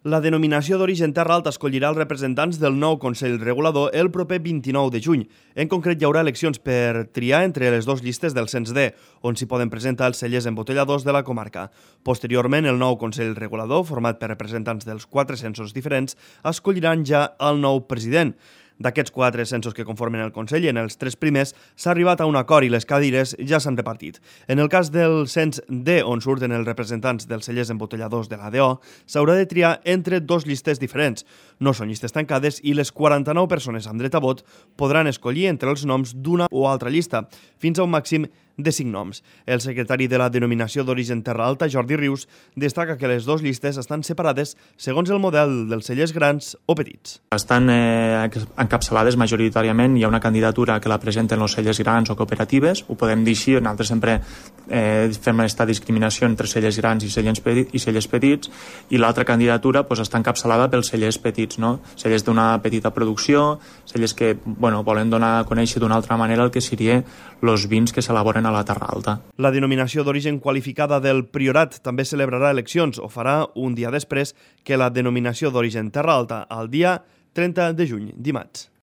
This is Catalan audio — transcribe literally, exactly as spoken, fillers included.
La denominació d'origen Terra Alta escollirà els representants del nou Consell Regulador el proper vint-i-nou de juny. En concret, hi haurà eleccions per triar entre les dues llistes del cens D, on s'hi poden presentar els cellers embotelladors de la comarca. Posteriorment, el nou Consell Regulador, format per representants dels quatre censos diferents, escolliran ja el nou president. D'aquests quatre censos que conformen el Consell, en els tres primers s'ha arribat a un acord i les cadires ja s'han repartit. En el cas del cens D, on surten els representants dels cellers embotelladors de l'A D O, s'haurà de triar entre dos llistes diferents. No són llistes tancades i les quaranta-nou persones amb dret a vot podran escollir entre els noms d'una o altra llista, fins a un màxim de cinc noms. El secretari de la denominació d'origen Terra Alta, Jordi Rius, destaca que les dues llistes estan separades segons el model dels cellers grans o petits. Estan eh, encapçalades majoritàriament, hi ha una candidatura que la presenten els cellers grans o cooperatives, ho podem dir així, nosaltres sempre eh, fem aquesta discriminació entre cellers grans i cellers petits, i cellers petits i l'altra candidatura pues, està encapçalada pels cellers petits, no? Cellers d'una petita producció, cellers que bueno, volen donar a conèixer d'una altra manera el que serien els vins que s'elaboren a la Terra Alta. La denominació d'origen qualificada del Priorat també celebrarà eleccions o farà un dia després que la denominació d'origen Terra Alta, el dia trenta de juny, dimarts.